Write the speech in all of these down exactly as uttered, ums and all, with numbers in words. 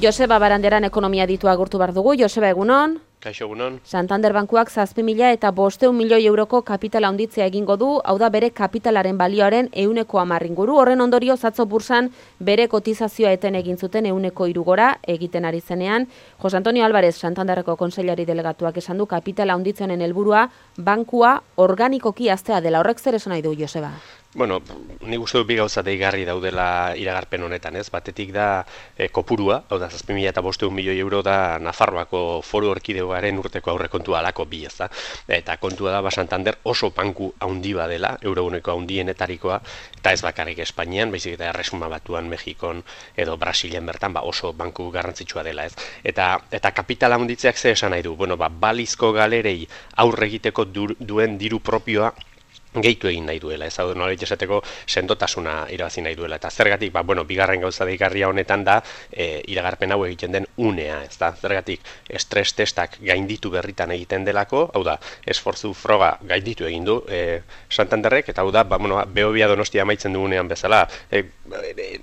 Joseba Baranderan ekonomia ditu agurtu behar dugu. Joseba, egunon? Kaixo, egunon. Santander Bankuak zazpi mila eta bosteun milioi euroko kapitala handitzea egingo du, hau da bere kapitalaren balioaren ehuneko hamar inguru. Horren ondorio atzo bursan bere kotizazioa eten egin zuten ehuneko hiru gora egiten ari zenean. Jose Antonio Álvarez, Santanderreko kontseilari delegatuak esan du kapitala handitzenen helburua bankua organikoki haztea dela. Horrek zer esan nahi du, Joseba? Bueno, nik uste dut bi gauza deigarri daudela iragarpen honetan, ez? Batetik da e, kopurua, hau da zazpi mila eta bosteun milioi euro da Nafarroako foru erkidegoaren urteko aurrekontua alako bi, ez da? Eta kontua da, ba, Santander oso banku handi badela, euroguneko handienetarikoa, eta ez bakarrik Espainian, baizik eta Erresuma Batuan, Mexikon edo Brasilen bertan, ba, oso banku garrantzitsua dela, ez? Eta, eta kapitala handitzeak ze esan nahi du? Bueno, ba, balizko galerei aurre egiteko du, duen diru propioa gehitu egin nahi duela, ez hau nolabait esateko sendotasuna irabazi nahi duela. Eta zergatik, ba, bueno, bigarren gauza deigarria honetan da e, iragarpen hau egiten den unea, ez da, zergatik estres testak gainditu berritan egiten delako, hau da, esfortzu froga gainditu egin du e, Santanderrek, eta hau da, ba, bueno, Behobia Donostia amaitzen dugunean bezala, e,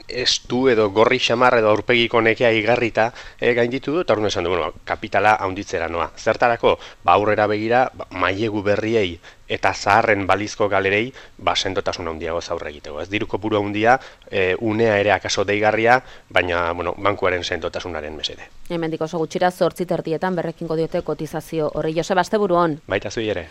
estu edo gorri xamar edo aurpegiko nekea igarrita e, gainditu du, eta hori esan du, bueno, kapitala handitzera noa. Zertarako, ba, aurrera begira, ba, mailegu berriei eta zaharren balizko galerei ba, sendotasun handiago aurre egiteko. Ez diru kopuru handia, e, unea ere akaso deigarria, baina bueno, bankuaren sendotasunaren mesede. Hemendik oso gutxira zortzi terdietan berrekingo diote kotizazio horri. Joseba, asteburuan. Baita zui ere.